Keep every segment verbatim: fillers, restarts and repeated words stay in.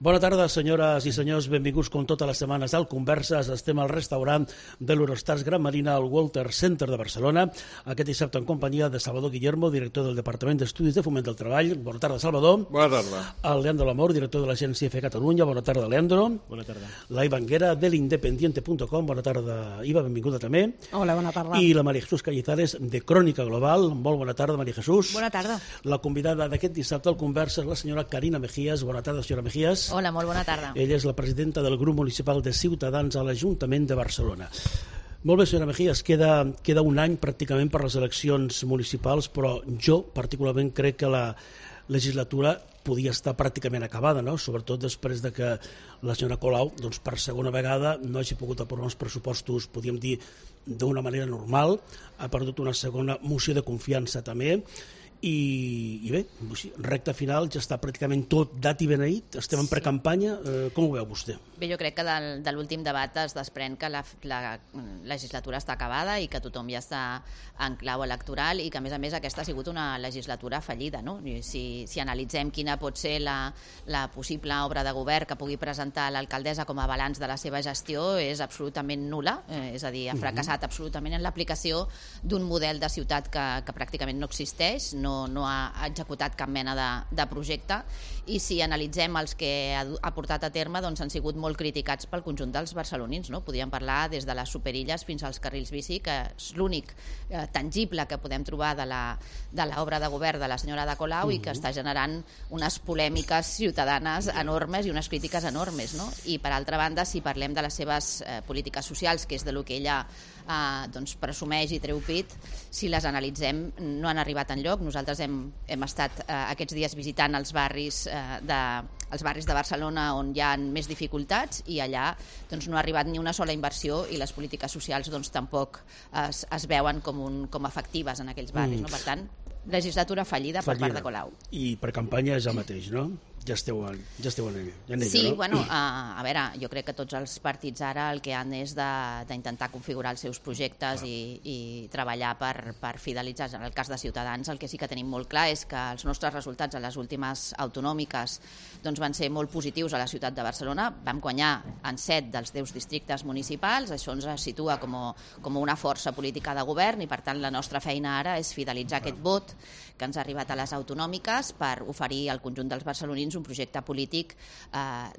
Bona tarda, senyores i senyors. Benvinguts com totes les setmanes al Converses. Estem al restaurant de l'Eurostars Gran Marina al Walter Center de Barcelona. Aquest dissabte en companyia de Salvador Guillermo, director del Departament d'Estudis de Foment del Treball. Bona tarda, Salvador. Bona tarda. El Leandro Lamor, director de l'Agència F Catalunya. Bona tarda, Leandro. Bona tarda. La Iva Anguera, de l'independiente punt com. Bona tarda, Iva, benvinguda també. Hola, bona tarda. I la María Jesús Callizales, de Crònica Global. Molt bona tarda, María Jesús. Bona tarda. La convidada d'aquest dissabte al Converses, la senyora Carina Mejías. Bona tarda, senyora Mejías. Hola, molt bona tarda. Ella és la presidenta del grup municipal de Ciutadans a l'Ajuntament de Barcelona. Molt bé, senyora Mejías, queda, queda un any pràcticament per les eleccions municipals, però jo particularment crec que la legislatura podia estar pràcticament acabada, no? Sobretot després de que la senyora Colau, doncs, per segona vegada, no hagi pogut aprovar uns pressupostos, podríem dir, d'una manera normal, ha perdut una segona moció de confiança també, i, i bé, recta final, ja està pràcticament tot dat i beneït, estem en precampanya, eh, com ho veu vostè? Bé, jo crec que del, de l'últim debat es desprèn que la, la legislatura està acabada i que tothom ja està en clau electoral i que a més a més aquesta ha sigut una legislatura fallida, no? Si, si analitzem quina pot ser la, la possible obra de govern que pugui presentar l'alcaldessa com a balanç de la seva gestió és absolutament nul·la, eh, és a dir, ha fracassat absolutament en l'aplicació d'un model de ciutat que, que pràcticament no existeix, no No, no ha executat cap mena de, de projecte i si analitzem els que ha, ha portat a terme doncs han sigut molt criticats pel conjunt dels barcelonins, no? Podríem parlar des de les superilles fins als carrils bici, que és l'únic eh, tangible que podem trobar de l'obra de, de govern de la senyora Ada Colau uh-huh. i que està generant unes polèmiques ciutadanes enormes i unes crítiques enormes, no? I per altra banda, si parlem de les seves eh, polítiques socials, que és de lo que ella eh, doncs presumeix i treu pit, si les analitzem no han arribat enlloc. Nosaltres hem, hem estat eh, aquests dies visitant els barris, eh, de, els barris de Barcelona on hi ha més dificultats i allà doncs, no ha arribat ni una sola inversió i les polítiques socials doncs, tampoc es, es veuen com, un, com efectives en aquells barris. Mm. No? Per tant, legislatura fallida, fallida per part de Colau. I per campanya és el mateix, no? Ja esteu en, ja esteu en ella, ja en ella, sí, no? bueno, a, a veure, jo crec que tots els partits ara el que han és d'intentar configurar els seus projectes i, i treballar per, per fidelitzar. En el cas de Ciutadans, el que sí que tenim molt clar és que els nostres resultats a les últimes autonòmiques doncs, van ser molt positius a la ciutat de Barcelona. Vam guanyar en set dels deu districtes municipals, això ens situa com, com una força política de govern i per tant la nostra feina ara és fidelitzar aquest vot que ens ha arribat a les autonòmiques per oferir al conjunt dels barcelonins un projecte polític eh,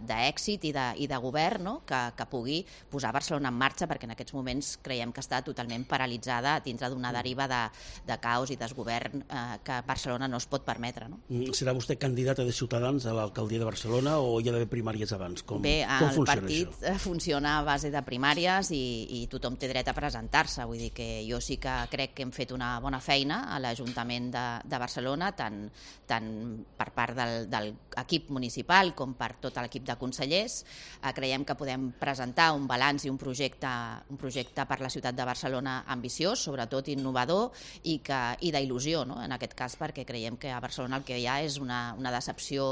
d'èxit i, de, i de govern, no? que, que pugui posar Barcelona en marxa, perquè en aquests moments creiem que està totalment paralitzada dintre d'una deriva de, de caos i desgovern eh, que Barcelona no es pot permetre. No? Serà vostè candidata de Ciutadans a l'alcaldia de Barcelona o hi ha d'haver primàries abans? Com, Bé, com el partit això? funciona a base de primàries i, i tothom té dret a presentar-se. Vull dir que jo sí que crec que hem fet una bona feina a l'Ajuntament de, de Barcelona, tant, tant per part del, del equip municipal com per tot l'equip de consellers. Eh, creiem que podem presentar un balanç i un projecte, un projecte per la ciutat de Barcelona ambiciós, sobretot innovador i, que, i d'il·lusió, no? En aquest cas, perquè creiem que a Barcelona el que hi ha és una, una decepció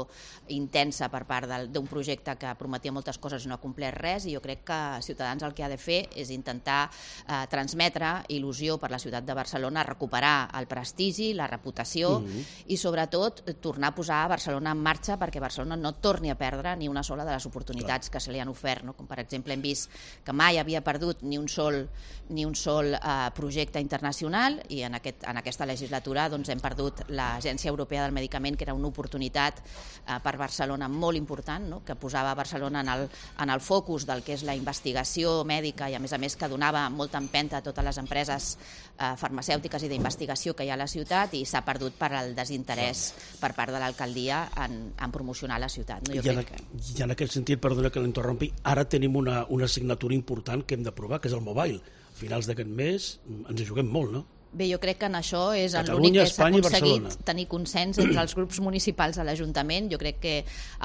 intensa per part d'un projecte que prometia moltes coses i no ha complert res, i jo crec que Ciutadans el que ha de fer és intentar eh, transmetre il·lusió per la ciutat de Barcelona, recuperar el prestigi, la reputació mm-hmm. i sobretot tornar a posar a Barcelona en marxa perquè Barcelona no torni a perdre ni una sola de les oportunitats Clar. que se li han ofert, no? Com per exemple hem vist que mai havia perdut ni un sol, ni un sol eh, projecte internacional i en, aquest, en aquesta legislatura doncs, hem perdut l'Agència Europea del Medicament, que era una oportunitat eh, per Barcelona molt important, no? Que posava Barcelona en el, en el focus del que és la investigació mèdica i a més a més que donava molta empenta a totes les empreses eh, farmacèutiques i d'investigació que hi ha a la ciutat i s'ha perdut per al desinterès per part de l'alcaldia en, en promocionar la ciutat. No? Jo I, en, crec que... I en aquest sentit, perdona que l'interrompi, ara tenim una, una assignatura important que hem de provar, que és el mobile. A finals d'aquest mes ens hi juguem molt, no? Bé, jo crec que en això és Catalunya, l'únic que s'ha Espanya i aconseguit Barcelona. tenir consens entre els grups municipals a l'Ajuntament. Jo crec que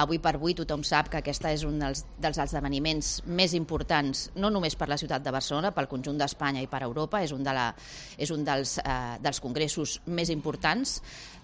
avui per avui tothom sap que aquesta és un dels, dels esdeveniments més importants, no només per la ciutat de Barcelona, pel conjunt d'Espanya i per Europa. És un, de la, és un dels, eh, dels congressos més importants.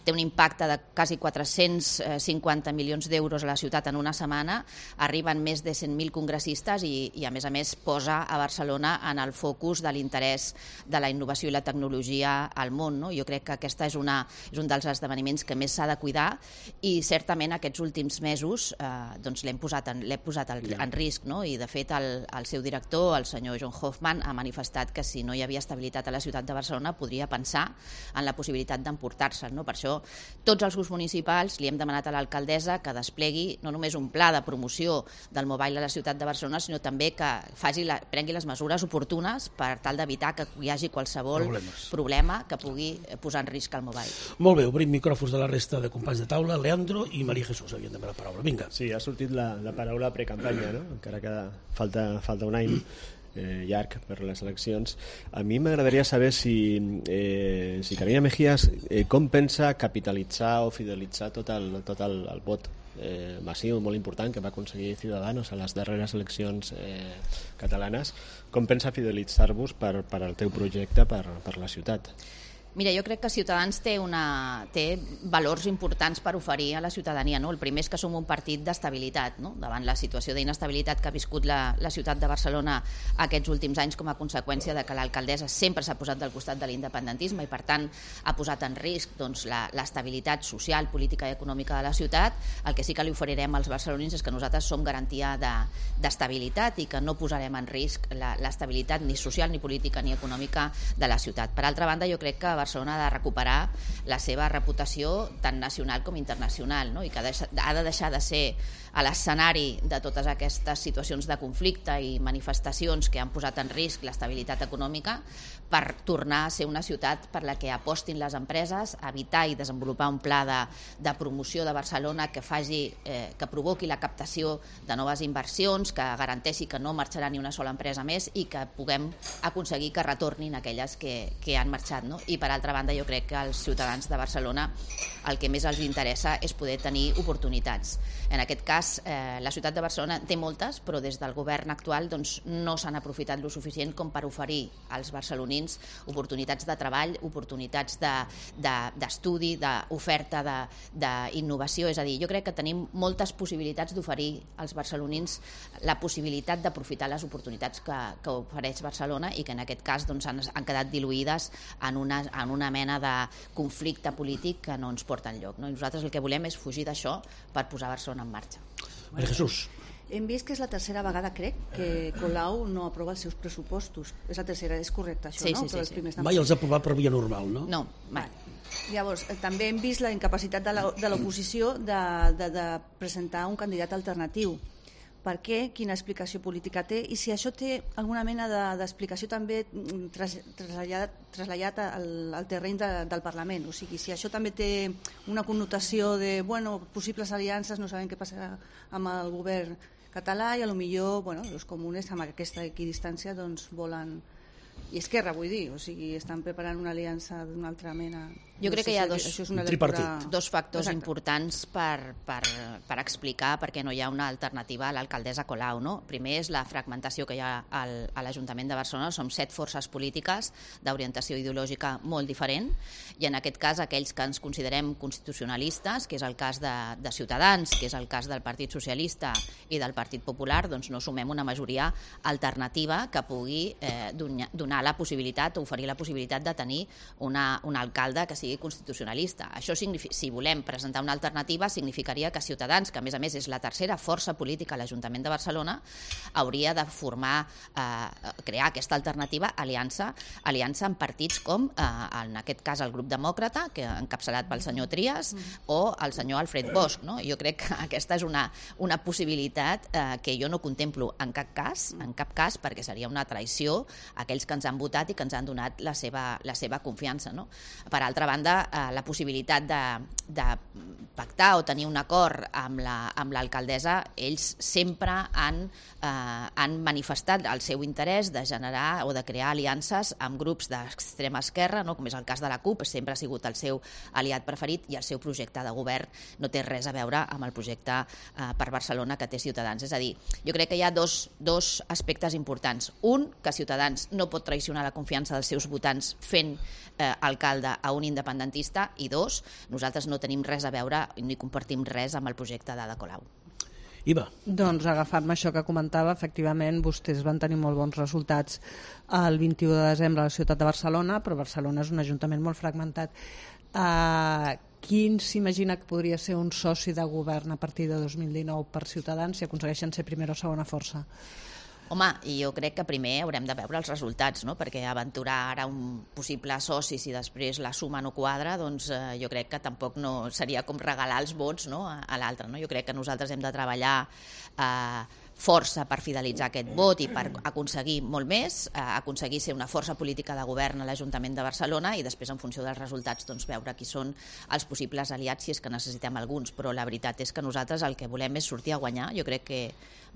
Té un impacte de quasi quatre-cents cinquanta milions d'euros a la ciutat en una setmana, arriben més de cent mil congressistes i, i a més a més posa a Barcelona en el focus de l'interès de la innovació i la tecnologia tecnologia al món, no? Jo crec que aquesta és, una, és un dels esdeveniments que més s'ha de cuidar i certament aquests últims mesos eh, doncs l'hem posat, en, l'hem posat en, en risc, no? I de fet el, el seu director, el senyor John Hoffman, ha manifestat que si no hi havia estabilitat a la ciutat de Barcelona podria pensar en la possibilitat d'emportar-se'l, no? Per això tots els grups municipals li hem demanat a l'alcaldessa que desplegui no només un pla de promoció del mobile a la ciutat de Barcelona, sinó també que faci la, prengui les mesures oportunes per tal d'evitar que hi hagi qualsevol Problemes. problema que pugui posar en risc el mobile. Molt bé, obrim micròfons de la resta de companys de taula. Leandro i Maria Jesús havien de la paraula. Vinga. Sí, ha sortit la, la paraula precampanya, no? Encara que falta, falta un any eh, llarg per les eleccions. A mi m'agradaria saber si, eh, si Carolina Mejías eh, com pensa capitalitzar o fidelitzar tot el, tot el, el vot eh, massiu, molt important, que va aconseguir Ciudadanos a les darreres eleccions eh, catalanes. Com pensa fidelitzar-vos per, per al teu projecte per, per la ciutat? Mira, jo crec que Ciutadans té, una, té valors importants per oferir a la ciutadania, no? El primer és que som un partit d'estabilitat, no? Davant la situació d'inestabilitat que ha viscut la, la ciutat de Barcelona aquests últims anys com a conseqüència de que l'alcaldessa sempre s'ha posat del costat de l'independentisme i per tant ha posat en risc doncs, l'estabilitat social, política i econòmica de la ciutat. El que sí que li oferirem als barcelonins és que nosaltres som garantia d'estabilitat de, i que no posarem en risc l'estabilitat ni social, ni política, ni econòmica de la ciutat. Per altra banda, jo crec que Barcelona ha de recuperar la seva reputació tant nacional com internacional, no? I que ha de deixar de ser a l'escenari de totes aquestes situacions de conflicte i manifestacions que han posat en risc l'estabilitat econòmica per tornar a ser una ciutat per la que apostin les empreses, evitar i desenvolupar un pla de, de promoció de Barcelona que faci, eh, que provoqui la captació de noves inversions, que garanteixi que no marxarà ni una sola empresa més i que puguem aconseguir que retornin aquelles que, que han marxat, no? I per altra banda jo crec que als ciutadans de Barcelona el que més els interessa és poder tenir oportunitats. En aquest cas, eh, la ciutat de Barcelona té moltes, però des del govern actual doncs, no s'han aprofitat lo suficient com per oferir als barcelonins oportunitats de treball, oportunitats d'estudi, de, de, d'oferta, d'innovació. És a dir, jo crec que tenim moltes possibilitats d'oferir als barcelonins la possibilitat d'aprofitar les oportunitats que, que ofereix Barcelona i que en aquest cas doncs, han, han quedat diluïdes en una, en una mena de conflicte polític que no ens porta enlloc, no? I nosaltres el que volem és fugir d'això per posar Barcelona en marxa. Maria Jesús. Hem vist que és la tercera vegada, crec, que Colau no aprova els seus pressupostos. És la tercera, és correcte això, sí, no? Sí, sí, sí. Mai els ha aprovat per via normal, no? No, mai. Llavors, també hem vist la incapacitat de l'oposició de, de, de presentar un candidat alternatiu. Per què? Quina explicació política té? I si això té alguna mena d'explicació de, també tras, traslladat, traslladat al, al terreny de, del Parlament. O sigui, si això també té una connotació de, bueno, possibles aliances, no sabem què passarà amb el govern català i a lo millor, bueno, els comunes amb aquesta equidistància doncs volen... I Esquerra, vull dir, o sigui, estan preparant una aliança d'una altra mena... Jo crec que hi ha dos, lectura... dos factors Exacte. importants per, per, per explicar per què no hi ha una alternativa a l'alcaldessa Colau, no? Primer és la fragmentació que hi ha al, a l'Ajuntament de Barcelona. Som set forces polítiques d'orientació ideològica molt diferent i en aquest cas aquells que ens considerem constitucionalistes, que és el cas de, de Ciutadans, que és el cas del Partit Socialista i del Partit Popular, doncs no sumem una majoria alternativa que pugui eh, donar la possibilitat o oferir la possibilitat de tenir una, un alcalde que sigui constitucionalista. Això, si volem presentar una alternativa, significaria que Ciutadans, que a més a més és la tercera força política a l'Ajuntament de Barcelona, hauria de formar, eh, crear aquesta alternativa, aliança, aliança amb partits com, eh, en aquest cas, el grup demòcrata, que encapçalat pel senyor Trias, o el senyor Alfred Bosch, no? Jo crec que aquesta és una, una possibilitat eh, que jo no contemplo en cap cas, en cap cas, perquè seria una traïció a aquells que ens han votat i que ens han donat la seva, la seva confiança, no? Per altra banda, la possibilitat de, de pactar o tenir un acord amb l'alcaldessa, la, ells sempre han, eh, han manifestat el seu interès de generar o de crear aliances amb grups d'extrema esquerra, no? Com és el cas de la CUP, sempre ha sigut el seu aliat preferit i el seu projecte de govern no té res a veure amb el projecte eh, per Barcelona que té Ciutadans. És a dir, jo crec que hi ha dos, dos aspectes importants. Un, que Ciutadans no pot traicionar la confiança dels seus votants fent eh, alcalde a un independentista, i dos, nosaltres no tenim res a veure ni compartim res amb el projecte d'Ada Colau. Iva. Doncs agafant-me això que comentava, efectivament vostès van tenir molt bons resultats el vint-i-u de desembre a la ciutat de Barcelona, però Barcelona és un ajuntament molt fragmentat. Uh, quin s'imagina que podria ser un soci de govern a partir de dos mil dinou per Ciutadans si aconsegueixen ser primera o segona força? Home, i jo crec que primer haurem de veure els resultats, no? Perquè aventurar ara un possible soci si després la suma no quadra, doncs eh, jo crec que tampoc no seria com regalar els vots, no? a, a l'altre. No? Jo crec que nosaltres hem de treballar eh, força per fidelitzar aquest vot i per aconseguir molt més, eh, aconseguir ser una força política de govern a l'Ajuntament de Barcelona i després, en funció dels resultats, doncs, veure qui són els possibles aliats si és que necessitem alguns. Però la veritat és que nosaltres el que volem és sortir a guanyar. Jo crec que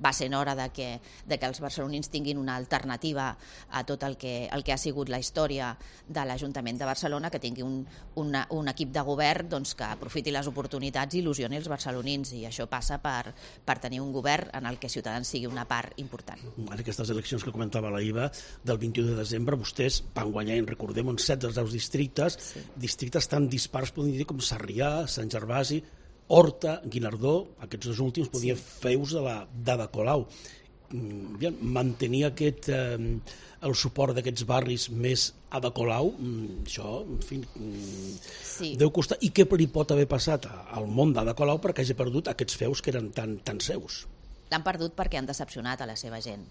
va ser hora de que, de que els barcelonins tinguin una alternativa a tot el que, el que ha sigut la història de l'Ajuntament de Barcelona, que tingui un, una, un equip de govern doncs, que aprofiti les oportunitats i il·lusioni els barcelonins, i això passa per, per tenir un govern en el que Ciutadans sigui una part important. En aquestes eleccions que comentava la Iva del vint-i-u de desembre, vostès van guanyar, en recordem, uns set dels deu districtes, sí. districtes tan dispars, podem dir, com Sarrià, Sant Gervasi, Horta, Guinardó, aquests dos últims podien sí. feus de la d'Ada Colau. Bien, mantenir aquest, eh, el suport d'aquests barris més Ada Colau, això, en fi, sí. deu costar. I què li pot haver passat al món d'Ada Colau perquè hagi perdut aquests feus que eren tan, tan seus? L'han perdut perquè han decepcionat a la seva gent.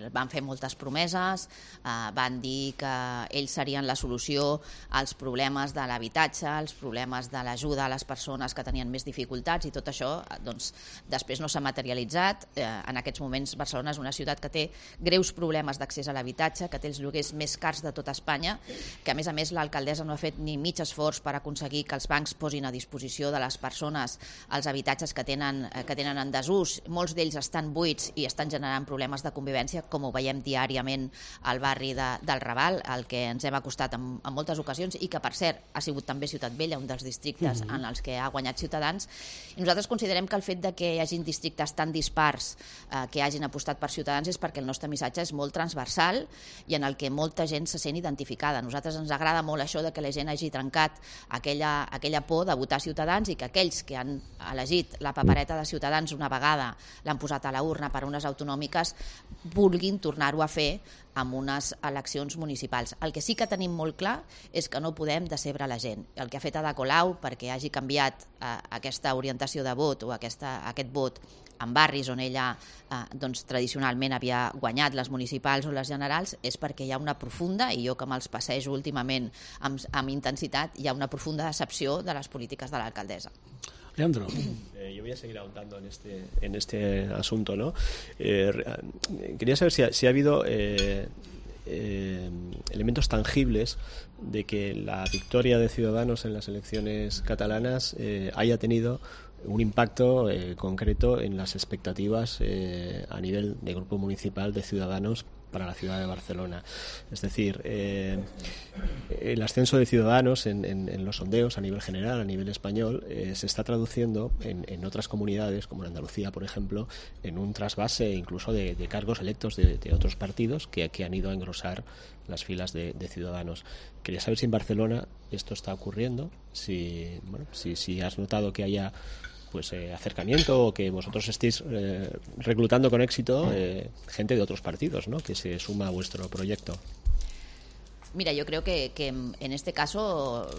Van fer moltes promeses, van dir que ells serien la solució als problemes de l'habitatge, als problemes de l'ajuda a les persones que tenien més dificultats, i tot això doncs, després no s'ha materialitzat. En aquests moments Barcelona és una ciutat que té greus problemes d'accés a l'habitatge, que té els lloguers més cars de tota Espanya, que a més a més l'alcaldessa no ha fet ni mig esforç per aconseguir que els bancs posin a disposició de les persones els habitatges que tenen, que tenen en desús. Molts d'ells estan buits i estan generant problemes de convivència, com ho veiem diàriament al barri de, del Raval, el que ens hem acostat en, en moltes ocasions, i que, per cert, ha sigut també Ciutat Vella, un dels districtes mm-hmm. en els que ha guanyat Ciutadans. I nosaltres considerem que el fet de que hi hagin districtes tan dispars eh, que hagin apostat per Ciutadans és perquè el nostre missatge és molt transversal i en el que molta gent se sent identificada. A nosaltres ens agrada molt això de que la gent hagi trencat aquella, aquella por de votar Ciutadans i que aquells que han elegit la papereta de Ciutadans una vegada l'han posat a la urna per unes autonòmiques vulguin tornar-ho a fer amb unes eleccions municipals. El que sí que tenim molt clar és que no podem decebre la gent. El que ha fet Ada Colau perquè hagi canviat eh, aquesta orientació de vot o aquesta, aquest vot en barris on ella eh, doncs, tradicionalment havia guanyat les municipals o les generals és perquè hi ha una profunda, i jo que me'ls passejo últimament amb, amb intensitat, hi ha una profunda decepció de les polítiques de l'alcaldessa. Leandro. Eh, yo voy a seguir ahondando en este, en este asunto, ¿no? Eh, quería saber si ha, si ha habido eh, eh, elementos tangibles de que la victoria de Ciudadanos en las elecciones catalanas eh, haya tenido un impacto eh, concreto en las expectativas eh, a nivel de grupo municipal de Ciudadanos para la ciudad de Barcelona. Es decir, eh, el ascenso de Ciudadanos en, en, en los sondeos a nivel general, a nivel español, eh, se está traduciendo en, en otras comunidades, como en Andalucía, por ejemplo, en un trasvase incluso de, de cargos electos de, de otros partidos que, que han ido a engrosar las filas de, de Ciudadanos. Quería saber si en Barcelona esto está ocurriendo, si, bueno, si, si has notado que haya pues eh, acercamiento o que vosotros estéis eh, reclutando con éxito eh, gente de otros partidos, ¿no? Que se suma a vuestro proyecto. Mira, yo creo que, que en este caso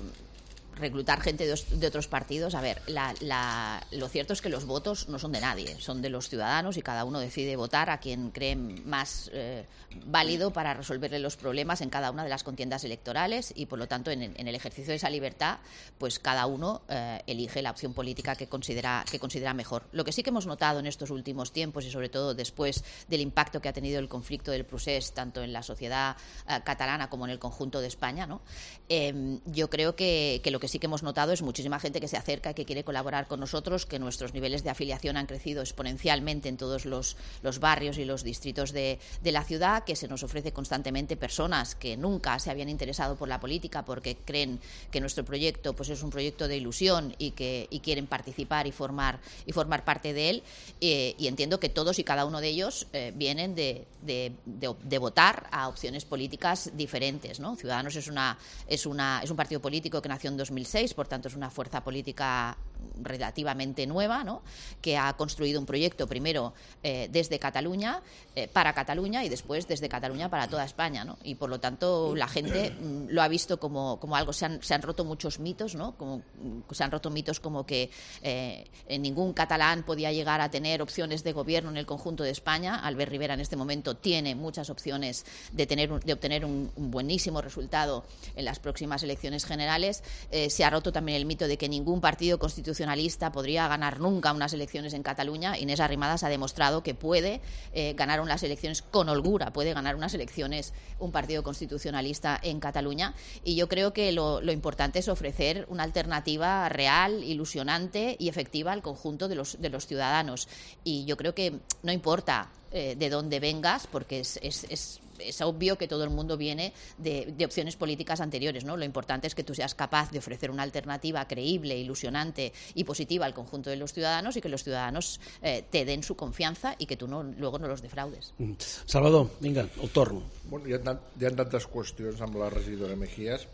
reclutar gente de, de otros partidos, a ver, la, la, lo cierto es que los votos no son de nadie, son de los ciudadanos y cada uno decide votar a quien cree más eh, válido para resolverle los problemas en cada una de las contiendas electorales y por lo tanto en, en el ejercicio de esa libertad pues cada uno eh, elige la opción política que considera, que considera mejor. Lo que sí que hemos notado en estos últimos tiempos y sobre todo después del impacto que ha tenido el conflicto del procés tanto en la sociedad eh, catalana como en el conjunto de España, ¿no? eh, yo creo que, que lo que Lo que sí que hemos notado es muchísima gente que se acerca, que quiere colaborar con nosotros, que nuestros niveles de afiliación han crecido exponencialmente en todos los, los barrios y los distritos de, de la ciudad, que se nos ofrece constantemente personas que nunca se habían interesado por la política porque creen que nuestro proyecto pues, es un proyecto de ilusión y que y quieren participar y formar, y formar parte de él. Eh, y entiendo que todos y cada uno de ellos eh, vienen de, de, de, de votar a opciones políticas diferentes, ¿no? Ciudadanos es, una, es, una, es un partido político que nació en dos mil seis, por tanto es una fuerza política relativamente nueva, ¿no? Que ha construido un proyecto primero eh, desde Cataluña, eh, para Cataluña y después desde Cataluña para toda España, ¿no? Y por lo tanto la gente mm, lo ha visto como, como algo, se han, se han roto muchos mitos, ¿no? Como, se han roto mitos como que eh, ningún catalán podía llegar a tener opciones de gobierno en el conjunto de España. Albert Rivera en este momento tiene muchas opciones de, tener un, de obtener un, un buenísimo resultado en las próximas elecciones generales. Eh, se ha roto también el mito de que ningún partido constitucionalista podría ganar nunca unas elecciones en Cataluña. Inés Arrimadas ha demostrado que puede eh, ganar unas elecciones con holgura, puede ganar unas elecciones un partido constitucionalista en Cataluña, y yo creo que lo, lo importante es ofrecer una alternativa real, ilusionante y efectiva al conjunto de los, de los ciudadanos. Y yo creo que no importa eh, de dónde vengas, porque es, es, es, es obvio que todo el mundo viene de, de opciones políticas anteriores, ¿no? Lo importante es que tú seas capaz de ofrecer una alternativa creíble, ilusionante y positiva al conjunto de los ciudadanos, y que los ciudadanos eh, te den su confianza y que tú no, luego no los defraudes. Mm. Salvador, vinga, el torn. Bueno, hi, ha tant, hi ha tantes qüestions amb la regidora Mejías,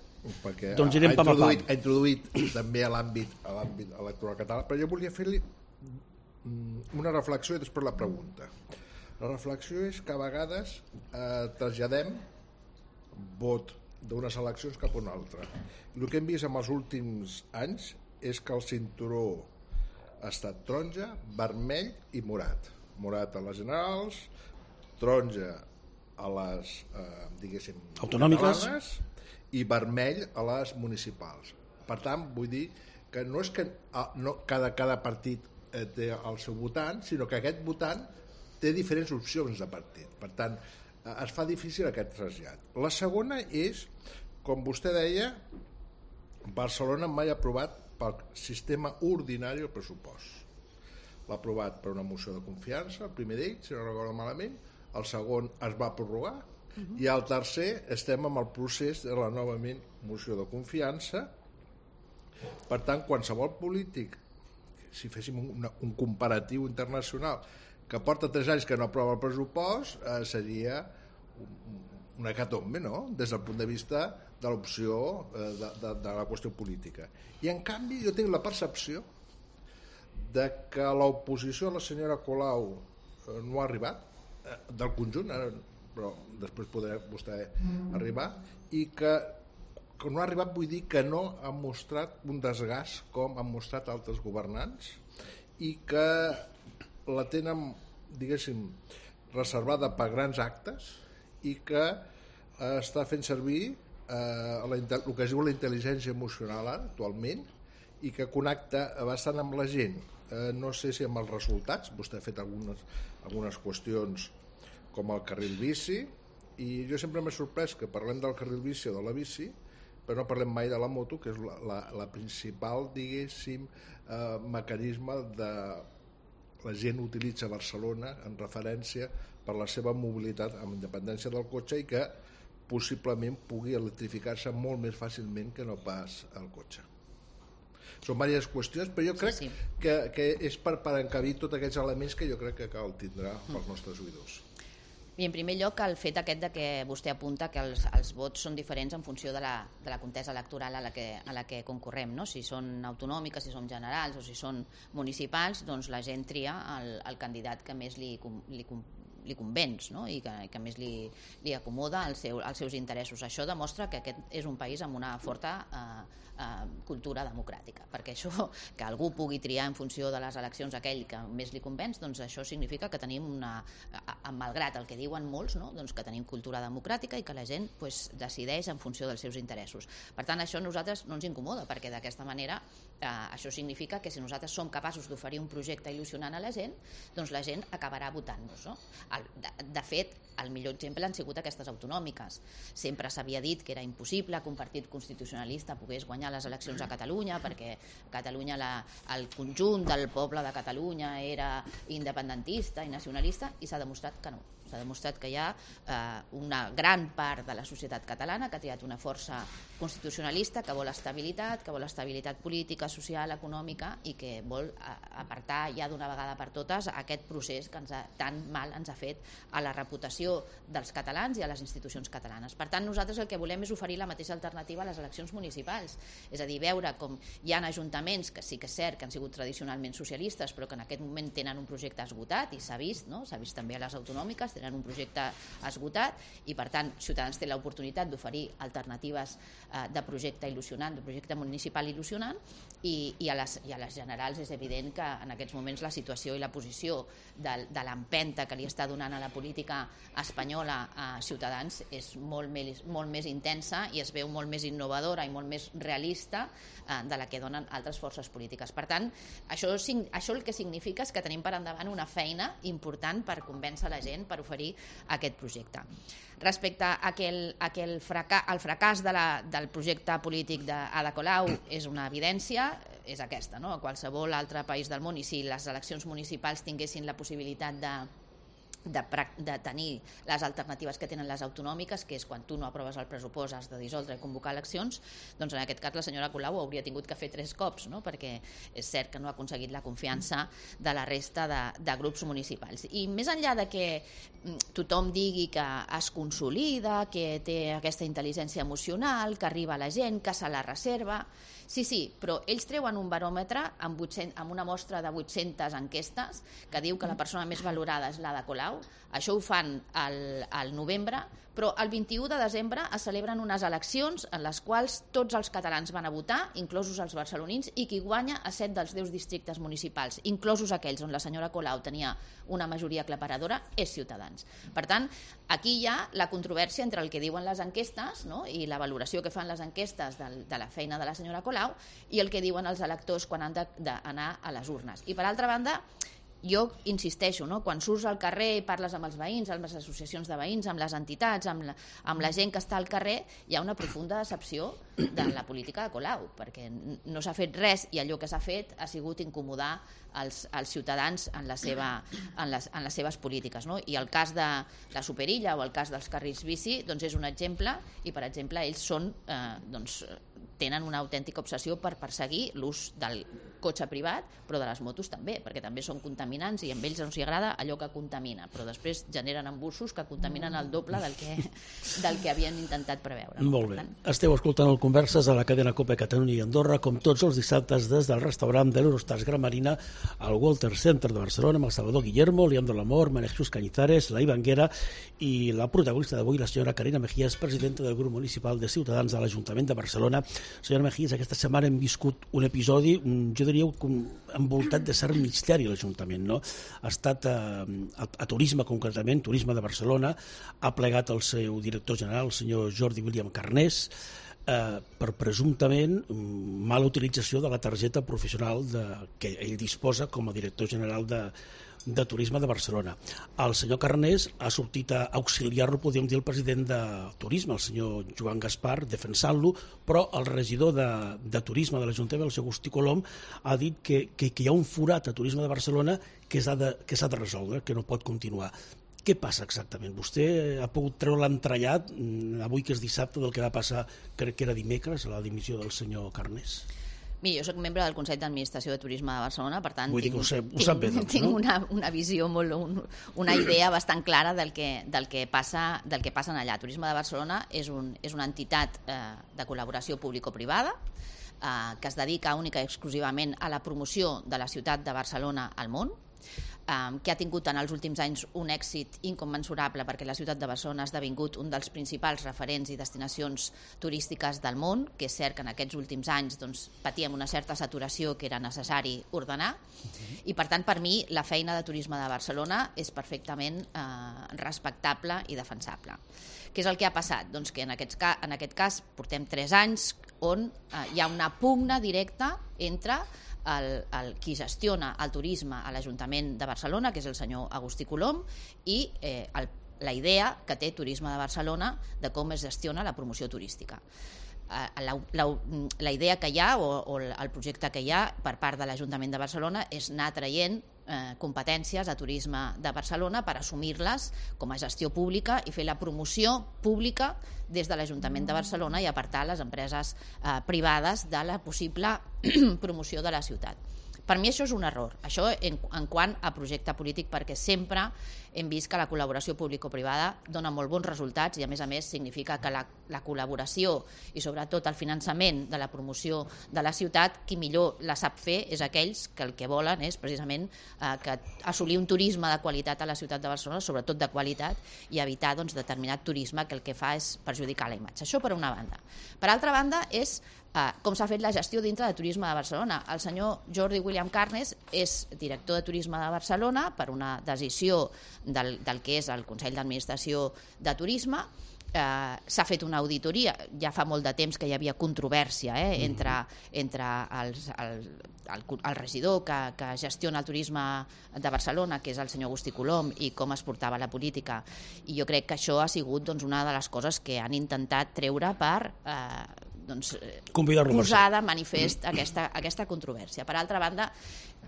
perquè doncs ha, ha, introduït, ha introduït també a l'àmbit a l'àmbit electoral català, però jo volia fer-li una reflexió i després la pregunta. La reflexió és que a vegades eh, traslladem vot d'unes eleccions cap a una altra. El que hem vist en els últims anys és que el cinturó ha estat taronja, vermell i morat. Morat a les generals, taronja a les eh, diguéssim autonòmiques i vermell a les municipals. Per tant, vull dir que no és que ah, no, cada, cada partit eh, té el seu votant, sinó que aquest votant té diferents opcions de partit. Per tant, eh, es fa difícil aquest trasllat. La segona és, com vostè deia, Barcelona mai ha aprovat pel sistema ordinari el pressupost. L'ha aprovat per una moció de confiança, el primer d'ells, si no recordo malament, el segon es va prorrogar, uh-huh. i el tercer estem amb el procés de la novament moció de confiança. Per tant, qualsevol polític, si féssim un, un comparatiu internacional, que porta tres anys que no aprova el pressupost, eh, seria una hecatombe, no?, des del punt de vista de l'opció eh, de, de, de la qüestió política. I en canvi jo tinc la percepció de que l'oposició a la senyora Colau eh, no ha arribat, eh, del conjunt, eh, però després podrà vostè arribar, i que, que no ha arribat, vull dir que no ha mostrat un desgast com han mostrat altres governants, i que la tenen, diguéssim, reservada per grans actes, i que eh, està fent servir eh, la, el que es diu la intel·ligència emocional ara, actualment, i que connecta bastant amb la gent. Eh, no sé si amb els resultats, vostè ha fet algunes, algunes qüestions com el carril bici, i jo sempre m'he sorprès que parlem del carril bici o de la bici, però no parlem mai de la moto, que és la, la, la principal, diguéssim, eh, mecanisme de la gent utilitza Barcelona en referència per la seva mobilitat amb independència del cotxe, i que possiblement pugui electrificar-se molt més fàcilment que no pas el cotxe. Són diverses qüestions, però jo crec sí, sí. Que, que és per, per encabir tots aquests elements que jo crec que cal tindrà pels nostres oïdors. I en primer lloc el fet aquest de que vostè apunta que els, els vots són diferents en funció de la, de la contesa electoral a la que, a la que concorrem, no? Si són autonòmiques, si són generals o si són municipals, doncs la gent tria el, el candidat que més li, li, li convenç, no? I que, que més li, li acomoda al seu, als seus interessos. Això demostra que aquest és un país amb una forta eh, eh, cultura democràtica, perquè això, que algú pugui triar en funció de les eleccions aquell que més li convenç, doncs això significa que tenim una, malgrat el que diuen molts, no? Doncs que tenim cultura democràtica i que la gent pues, decideix en funció dels seus interessos. Per tant, això a nosaltres no ens incomoda, perquè d'aquesta manera eh, això significa que si nosaltres som capaços d'oferir un projecte il·lusionant a la gent, doncs la gent acabarà votant-nos, no? El, de, de fet, el millor exemple han sigut aquestes autonòmiques. Sempre s'havia dit que era impossible que un partit constitucionalista pogués guanyar les eleccions a Catalunya, perquè Catalunya, la, el conjunt del poble de Catalunya era independentista i nacionalista, i s'ha demostrat que no. S'ha demostrat que hi ha eh, una gran part de la societat catalana que ha triat una força constitucionalista que vol estabilitat, que vol estabilitat política, social, econòmica, i que vol apartar ja d'una vegada per totes aquest procés que ens ha, tan mal ens ha fet, a la reputació dels catalans i a les institucions catalanes. Per tant, nosaltres el que volem és oferir la mateixa alternativa a les eleccions municipals, és a dir, veure com hi ha ajuntaments que sí que és cert que han sigut tradicionalment socialistes, però que en aquest moment tenen un projecte esgotat, i s'ha vist, no? S'ha vist també a les autonòmiques, tenen un projecte esgotat, i per tant Ciutadans té l'oportunitat d'oferir alternatives eh, de projecte il·lusionant, de projecte municipal il·lusionant, i, i, a les, i a les generals és evident que en aquests moments la situació i la posició de, de l'empenta que li està donant a la política espanyola a Ciutadans és molt més, molt més intensa i es veu molt més innovadora i molt més realista eh, de la que donen altres forces polítiques. Per tant, això, això el que significa és que tenim per endavant una feina important per convèncer la gent per oferir aquest projecte. Respecte a aquel, a aquel fracàs, al fracàs de la, del projecte polític d'Ada Colau és una evidència, és aquesta, no? A qualsevol altre país del món, i si les eleccions municipals tinguessin la possibilitat de De, de tenir les alternatives que tenen les autonòmiques, que és quan tu no aproves el pressupost has de dissoldre i convocar eleccions, doncs en aquest cas la senyora Colau ho hauria tingut que fer tres cops, no? Perquè és cert que no ha aconseguit la confiança de la resta de, de grups municipals. I més enllà de que tothom digui que es consolida, que té aquesta intel·ligència emocional, que arriba a la gent, que se la reserva, sí, sí, però ells treuen un baròmetre amb, vuit-cents, amb una mostra de vuit-centes enquestes que diu que la persona més valorada és l'Ada Colau. Això ho fan al, al novembre, però el vint-i-u de desembre es celebren unes eleccions en les quals tots els catalans van a votar, inclosos els barcelonins, i qui guanya a set dels deu districtes municipals, inclosos aquells on la senyora Colau tenia una majoria aclaparadora, és Ciutadans. Per tant, aquí hi ha la controvèrsia entre el que diuen les enquestes, no? I la valoració que fan les enquestes de, de la feina de la senyora Colau i el que diuen els electors quan han d'anar a les urnes. I per altra banda, jo insisteixo, no? Quan surts al carrer i parles amb els veïns, amb les associacions de veïns, amb les entitats, amb la, amb la gent que està al carrer, hi ha una profunda decepció de la política de Colau, perquè no s'ha fet res i allò que s'ha fet ha sigut incomodar els, els ciutadans en, la seva, en, les, en les seves polítiques, no? I el cas de la Superilla o el cas dels carrils bici doncs és un exemple, i per exemple ells són, eh, doncs, tenen una autèntica obsessió per perseguir l'ús del cotxe privat, però de les motos també, perquè també són contaminants i a ells no s'hi agrada allò que contamina, però després generen embussos que contaminen el doble del que, del que havien intentat preveure. Molt bé. Esteu escoltant el Converses a la cadena COPE Catalunya i Andorra, com tots els dissabtes des del restaurant de l'Eurostars Gran Marina al Walter Center de Barcelona, amb el Salvador Guillermo, Leandro Lamor, María Jesús Cañizares, la Ivanguera i la protagonista d'avui, la senyora Carina Mejías, presidenta del grup municipal de Ciutadans de l'Ajuntament de Barcelona. Senyora Mejías, aquesta setmana hem viscut un episodi, jo diria, envoltat de cert misteri a l'Ajuntament, no? Ha estat a, a, a Turisme, concretament, Turisme de Barcelona, ha plegat el seu director general, el senyor Jordi William Carnés, eh, per presumptament mala utilització de la targeta professional de, que ell disposa com a director general de, de Turisme de Barcelona. El senyor Carnés ha sortit a auxiliar-lo, podríem dir, el president de Turisme, el senyor Joan Gaspar, defensant-lo, però el regidor de, de Turisme de l'Ajuntament, el senyor Agustí Colom, ha dit que, que, que hi ha un forat a Turisme de Barcelona que s'ha de, que s'ha de resoldre, que no pot continuar. Què passa exactament? Vostè ha pogut treure l'entrellat, avui que és dissabte, del que va passar, crec que era dimecres, a la dimissió del senyor Carnés? Mira, jo soc membre del Consell d'Administració de Turisme de Barcelona, per tant, Vull tinc, dir que ho sap, ho sap bé, doncs, tinc no? una, una visió, molt, un, una idea bastant clara del que, del que passa del que passa allà. Turisme de Barcelona és, un, és una entitat eh, de col·laboració público-privada eh, que es dedica única i exclusivament a la promoció de la ciutat de Barcelona al món, que ha tingut en els últims anys un èxit incommensurable perquè la ciutat de Barcelona ha esdevingut un dels principals referents i destinacions turístiques del món, que és cert que en aquests últims anys doncs, patíem una certa saturació que era necessari ordenar, i per tant per mi la feina de Turisme de Barcelona és perfectament eh, respectable i defensable. Què és el que ha passat? Doncs que en aquest, ca en aquest cas portem tres anys on eh, hi ha una pugna directa entre El, el, qui gestiona el turisme a l'Ajuntament de Barcelona, que és el senyor Agustí Colom, i eh, el, la idea que té Turisme de Barcelona de com es gestiona la promoció turística. Eh, la, la, la idea que hi ha, o, o el projecte que hi ha per part de l'Ajuntament de Barcelona és anar traient eh, competències a Turisme de Barcelona per assumir-les com a gestió pública i fer la promoció pública des de l'Ajuntament de Barcelona i apartar les empreses eh, privades de la possible promoció de la ciutat. Per mi això és un error, això en, en quant a projecte polític, perquè sempre hem vist que la col·laboració público-privada dona molt bons resultats i a més a més significa que la, la col·laboració i sobretot el finançament de la promoció de la ciutat, qui millor la sap fer és aquells que el que volen és precisament eh, que assolir un turisme de qualitat a la ciutat de Barcelona, sobretot de qualitat, i evitar doncs, determinat turisme que el que fa és perjudicar la imatge. Això per una banda. Per altra banda és Uh, com s'ha fet la gestió dintre de Turisme de Barcelona. El senyor Jordi William Carnes és director de Turisme de Barcelona per una decisió del, del que és el Consell d'Administració de Turisme. Uh, s'ha fet una auditoria, ja fa molt de temps que hi havia controvèrsia eh, entre, entre els, el, el, el regidor que, que gestiona el turisme de Barcelona, que és el senyor Agustí Colom, i com es portava la política, i jo crec que això ha sigut doncs, una de les coses que han intentat treure per uh, doncs, posar de manifest aquesta, aquesta controvèrsia. Per altra banda,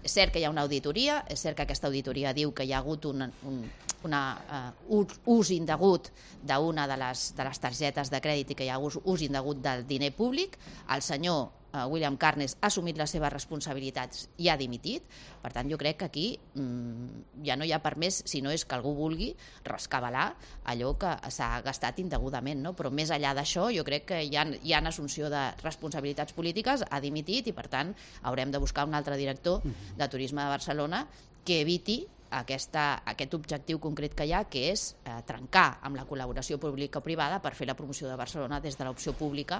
és cert que hi ha una auditoria, és cert que aquesta auditoria diu que hi ha hagut un, un una, uh, ús indegut d'una de les, de les targetes de crèdit i que hi ha ús, ús indegut del diner públic. El senyor uh, William Carnes ha assumit les seves responsabilitats i ha dimitit. Per tant, jo crec que aquí mm, ja no hi ha per més, si no és que algú vulgui rescabalar allò que s'ha gastat indegudament, no? Però més enllà d'això, jo crec que hi ha, hi ha assumpció de responsabilitats polítiques, ha dimitit i, per tant, haurem de buscar un altre director de Turisme de Barcelona que eviti Aquesta, aquest objectiu concret que hi ha, que és eh, trencar amb la col·laboració pública-privada per fer la promoció de Barcelona des de l'opció pública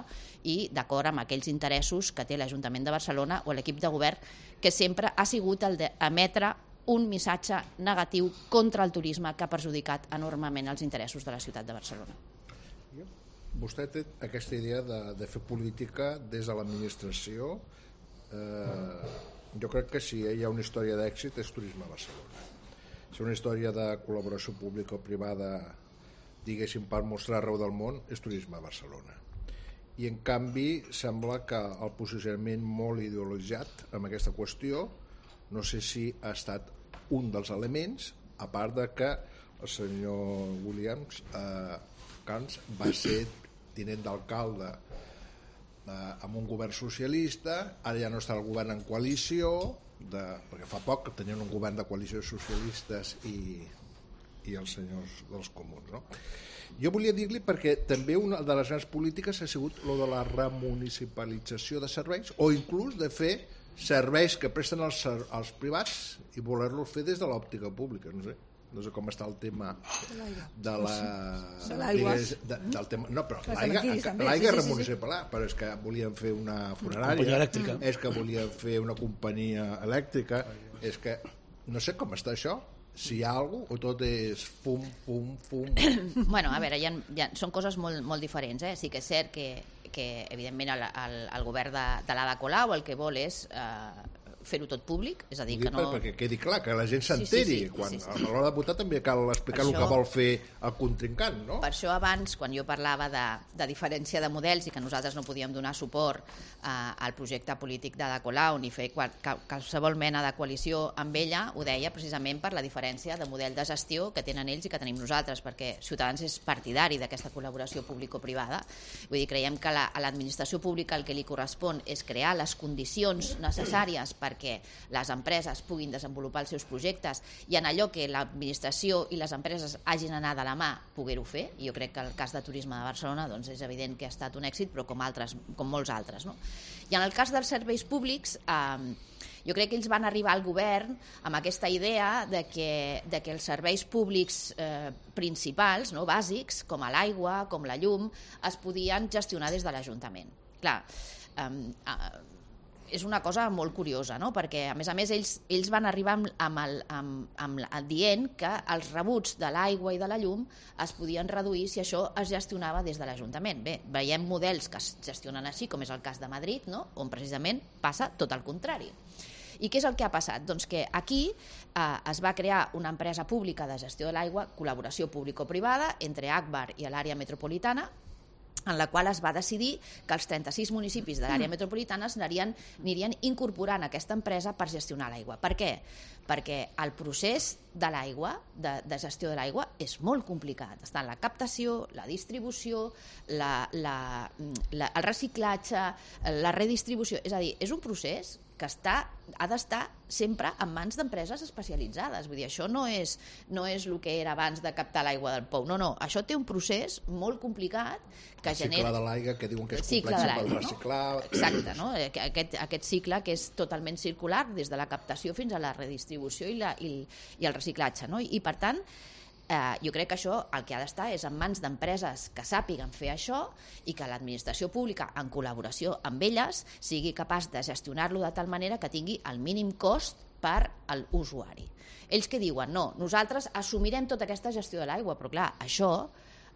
i d'acord amb aquells interessos que té l'Ajuntament de Barcelona o l'equip de govern, que sempre ha sigut el d'emetre un missatge negatiu contra el turisme que ha perjudicat enormement els interessos de la ciutat de Barcelona. Vostè té aquesta idea de, de fer política des de l'administració. Eh, jo crec que si hi ha una història d'èxit és Turisme a Barcelona. Si una història de col·laboració pública o privada, diguéssim, per mostrar arreu del món, és Turisme a Barcelona. I en canvi sembla que el posicionament molt ideologitzat amb aquesta qüestió, no sé si ha estat un dels elements, a part de que el senyor Williams eh, Carnes va ser tinent d'alcalde eh, amb un govern socialista, ara ja no està el govern en coalició, de, perquè fa poc que tenien un govern de coalició de socialistes i, i els senyors dels comuns, no? Jo volia dir-li perquè també una de les grans polítiques ha sigut lo de la remunicipalització de serveis o inclús de fer serveis que presten els, els privats i voler-los fer des de l'òptica pública, no sé. No sé com està el tema de la... De l'aigua. De, del tema, no, però l'aigua és remunicipal, però és que volien fer una funerària, és que volien fer una companyia elèctrica, és que no sé com està això, si hi ha alguna cosa o tot és fum, fum, fum... Bueno, a veure, hi ha, hi ha, són coses molt, molt diferents, eh? Sí que és cert que, que evidentment el, el, el govern de, de l'Ada Colau el que vol és... Eh, fer-ho tot públic, és a dir, que no... Perquè quedi clar, que la gent s'enteri. Sí, sí, sí, quan sí, sí. A l'hora de votar també cal explicar això, el que vol fer el contrincant, no? Per això abans, quan jo parlava de, de diferència de models i que nosaltres no podíem donar suport eh, al projecte polític d'Ada Colau ni fer qual, qualsevol mena de coalició amb ella, ho deia precisament per la diferència de model de gestió que tenen ells i que tenim nosaltres, perquè Ciutadans és partidari d'aquesta col·laboració público-privada. Vull dir, creiem que la, a l'administració pública el que li correspon és crear les condicions necessàries per perquè les empreses puguin desenvolupar els seus projectes i en allò que l'administració i les empreses hagin anat de la mà poder-ho fer. I jo crec que el cas de Turisme de Barcelona doncs és evident que ha estat un èxit, però com, altres, com molts altres. No? I en el cas dels serveis públics, eh, jo crec que ells van arribar al govern amb aquesta idea de que, de que els serveis públics eh, principals, no, bàsics, com l'aigua, com la llum, es podien gestionar des de l'Ajuntament. Clar, eh, eh, és una cosa molt curiosa, no? Perquè a més a més ells, ells van arribar amb, amb, el, amb, amb el dient que els rebuts de l'aigua i de la llum es podien reduir si això es gestionava des de l'Ajuntament. Bé, veiem models que es gestionen així, com és el cas de Madrid, no? On precisament passa tot el contrari. I què és el que ha passat? Doncs que aquí eh, es va crear una empresa pública de gestió de l'aigua, col·laboració público-privada entre Agbar i l'àrea metropolitana, en la qual es va decidir que els trenta-sis municipis de l'àrea metropolitana anirien, anirien incorporant aquesta empresa per gestionar l'aigua. Per què? Perquè el procés de l'aigua, de, de gestió de l'aigua, és molt complicat. Està en la captació, la distribució, la, la, la, el reciclatge, la redistribució. És a dir, és un procés que està, ha d'estar sempre en mans d'empreses especialitzades. Vull dir, això no és, no és el que era abans de captar l'aigua del pou. No, no, això té un procés molt complicat que el genera... cicle de l'aigua, que diuen que és cicle complex de per l'aigua, reciclar... No? Exacte, no? Aquest, aquest cicle que és totalment circular des de la captació fins a la redistribució i, la, i, i el reciclatge. No? I, per tant, Eh, jo crec que això el que ha d'estar és en mans d'empreses que sàpiguen fer això i que l'administració pública, en col·laboració amb elles, sigui capaç de gestionar-lo de tal manera que tingui el mínim cost per a l'usuari. Ells que diuen, no, nosaltres assumirem tota aquesta gestió de l'aigua, però clar, això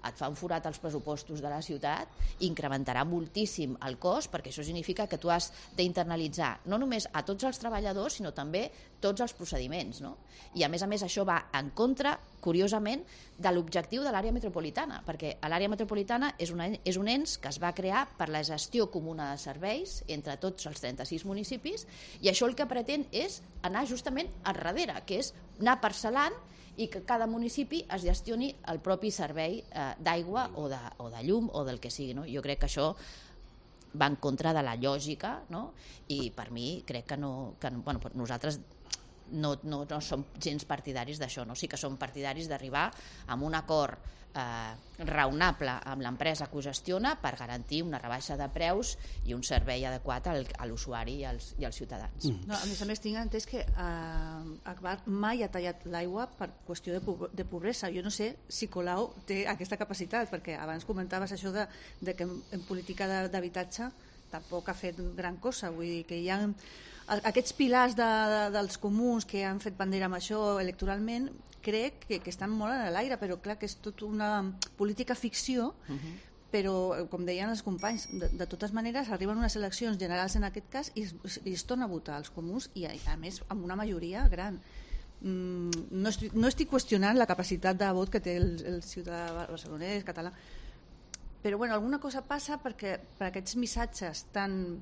et fa un forat als pressupostos de la ciutat, incrementarà moltíssim el cost, perquè això significa que tu has d'internalitzar no només a tots els treballadors, sinó també tots els procediments. No? I a més a més això va en contra, curiosament, de l'objectiu de l'àrea metropolitana, perquè l'àrea metropolitana és, una, és un ens que es va crear per la gestió comuna de serveis entre tots els trenta-sis municipis, i això el que pretén és anar justament al darrere, que és anar parcel·lant i que cada municipi es gestioni el propi servei eh, d'aigua o, de, o de llum o del que sigui. No? Jo crec que això va en contra de la lògica, no? I per mi crec que no... Que, bueno, nosaltres no, no, no som gens partidaris d'això, no? Sí que som partidaris d'arribar a un acord eh, raonable amb l'empresa que ho gestiona per garantir una rebaixa de preus i un servei adequat al, a l'usuari i als, i als ciutadans. No, a més a més tinc entès que eh, Agbar mai ha tallat l'aigua per qüestió de, po de pobresa. Jo no sé si Colau té aquesta capacitat, perquè abans comentaves això de, de que en, en política d'habitatge tampoc ha fet gran cosa. Vull dir que hi ha aquests pilars de, de, dels comuns que han fet bandera amb això electoralment, crec que, que estan molt en l'aire, però clar que és tota una política ficció, uh-huh. Però, com deien els companys, de, de totes maneres arriben unes eleccions generals en aquest cas i es, i es torna a votar els comuns i a, a més amb una majoria gran. Mm, no, estic, no estic qüestionant la capacitat de vot que té el, el ciutadà barcelonès, català, però bueno, alguna cosa passa perquè per aquests missatges tan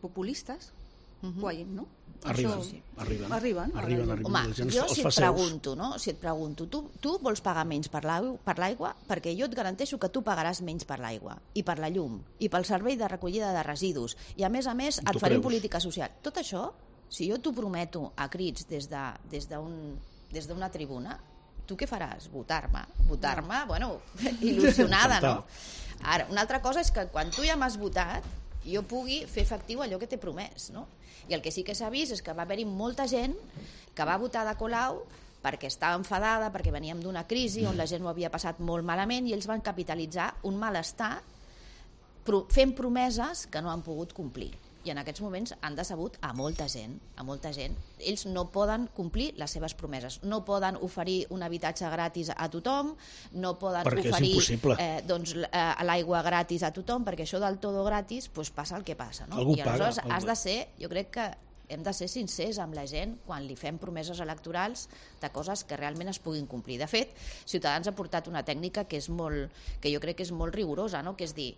populistes uh-huh. guanyin, no? Arriben, Això... arriben, arriben, arriben, arriben. Home, Gent jo els si fa et seus. pregunto, no? Si et pregunto, tu, tu vols pagar menys per l'aigua? Perquè jo et garanteixo que tu pagaràs menys per l'aigua, i per la llum, i pel servei de recollida de residus, i a més a més et farem política social. Tot això, si jo t'ho prometo a crits des de, des d'un, des d'una tribuna, tu què faràs? Votar-me. Votar-me, bueno, il·lusionada, no? Ara, una altra cosa és que quan tu ja m'has votat, jo pugui fer efectiu allò que t'he promès, no? I el que sí que s'ha vist és que va haver-hi molta gent que va votar de Colau perquè estava enfadada, perquè veníem d'una crisi on la gent ho havia passat molt malament i ells van capitalitzar un malestar fent promeses que no han pogut complir. I en aquests moments han decebut a molta gent, a molta gent. Ells no poden complir les seves promeses, no poden oferir un habitatge gratis a tothom, no poden perquè oferir eh, doncs, eh, l'aigua gratis a tothom, perquè això del todo gratis pues, passa el que passa. No? Algú I aleshores paga, has de ser, jo crec que hem de ser sincers amb la gent quan li fem promeses electorals de coses que realment es puguin complir. De fet, Ciutadans ha portat una tècnica que és molt, que jo crec que és molt rigorosa, no? Que és dir,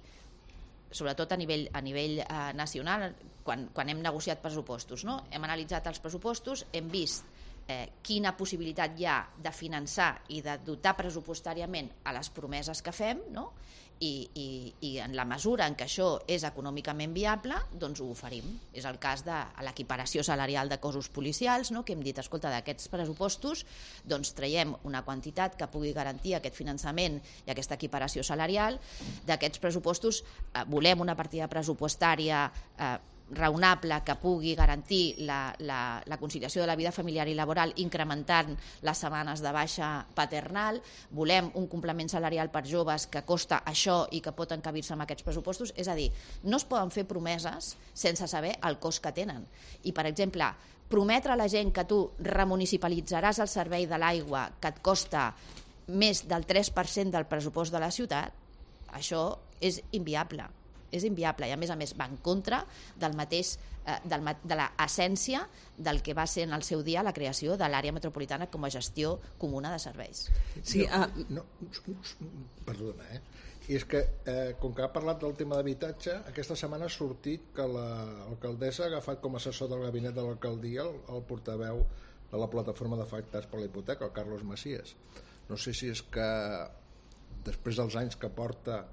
sobretot a nivell, a nivell eh, nacional, quan, quan hem negociat pressupostos, no? Hem analitzat els pressupostos, hem vist eh, quina possibilitat hi ha de finançar i de dotar pressupostàriament a les promeses que fem, no? I, i, i en la mesura en què això és econòmicament viable, doncs ho oferim. És el cas de l'equiparació salarial de cossos policials, no? Que hem dit, escolta, d'aquests pressupostos doncs traiem una quantitat que pugui garantir aquest finançament i aquesta equiparació salarial. D'aquests pressupostos eh, volem una partida pressupostària eh, raonable que pugui garantir la, la, la conciliació de la vida familiar i laboral incrementant les setmanes de baixa paternal, volem un complement salarial per joves que costa això i que pot encabir-se amb aquests pressupostos. És a dir, no es poden fer promeses sense saber el cost que tenen. I, per exemple, prometre a la gent que tu remunicipalitzaràs el servei de l'aigua que et costa més del tres per cent del pressupost de la ciutat, això és inviable. És inviable i a més a més va en contra del mateix, eh, del, de l'essència del que va ser en el seu dia la creació de l'àrea metropolitana com a gestió comuna de serveis. Sí, no, uh... no, perdona, eh? I és que, eh, com que ha parlat del tema d'habitatge, aquesta setmana ha sortit que l'alcaldessa ha agafat com a assessor del gabinet de l'alcaldia el, el portaveu de la plataforma d'afectats per la hipoteca, el Carlos Macias. No sé si és que després dels anys que porta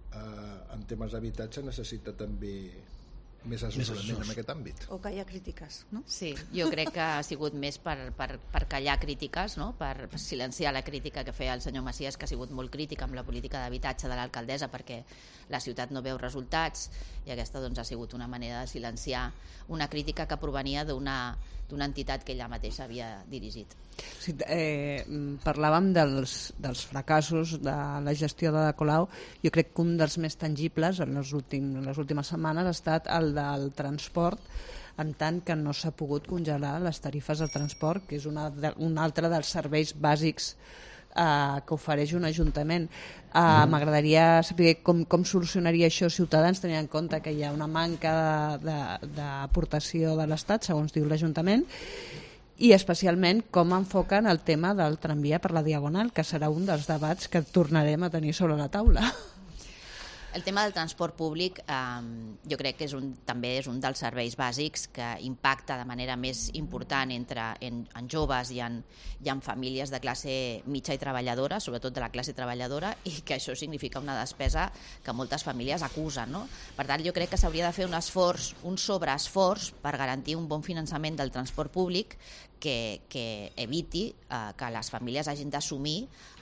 Eh, en temes d'habitatge necessita també més assessorament en aquest àmbit. O que hi ha crítiques, no? Sí, jo crec que ha sigut més per, per, per callar crítiques, no? Per silenciar la crítica que feia el senyor Macias, que ha sigut molt crític amb la política d'habitatge de l'alcaldessa perquè la ciutat no veu resultats, i aquesta doncs, ha sigut una manera de silenciar una crítica que provenia d'una d'una entitat que ella mateixa havia dirigit. Sí, eh, parlàvem dels, dels fracassos de la gestió de Colau. Jo crec que un dels més tangibles en les, últim, en les últimes setmanes ha estat el del transport, en tant que no s'ha pogut congelar les tarifes de transport, que és una, un altre dels serveis bàsics eh, que ofereix un ajuntament. Eh, mm. M'agradaria saber com, com solucionaria això Ciutadans, tenint en compte que hi ha una manca d'aportació de, de, de l'Estat, segons diu l'Ajuntament, i especialment com enfoquen el tema del tramvia per la Diagonal, que serà un dels debats que tornarem a tenir sobre la taula. El tema del transport públic eh, jo crec que és un, també és un dels serveis bàsics que impacta de manera més important entre, en, en joves i en, i en famílies de classe mitja i treballadora, sobretot de la classe treballadora, i que això significa una despesa que moltes famílies acusen, no? Per tant, jo crec que s'hauria de fer un esforç, un sobreesforç per garantir un bon finançament del transport públic que, que eviti eh, que les famílies hagin d'assumir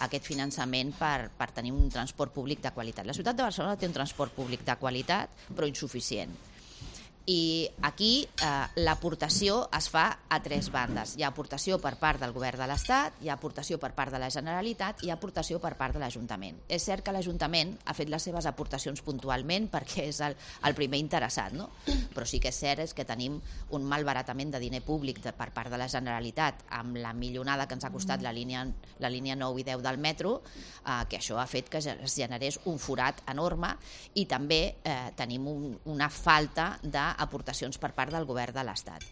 aquest finançament per, per tenir un transport públic de qualitat. La ciutat de Barcelona té un transport públic de qualitat, però insuficient. I aquí eh, l'aportació es fa a tres bandes. Hi ha aportació per part del govern de l'Estat, hi ha aportació per part de la Generalitat i hi ha aportació per part de l'Ajuntament. És cert que l'Ajuntament ha fet les seves aportacions puntualment perquè és el, el primer interessat, no? Però sí que és cert és que tenim un malbaratament de diner públic de, per part de la Generalitat amb la milionada que ens ha costat la línia, la línia nou i deu del metro, eh, que això ha fet que es generés un forat enorme, i també eh, tenim un, una falta de aportacions per part del govern de l'Estat.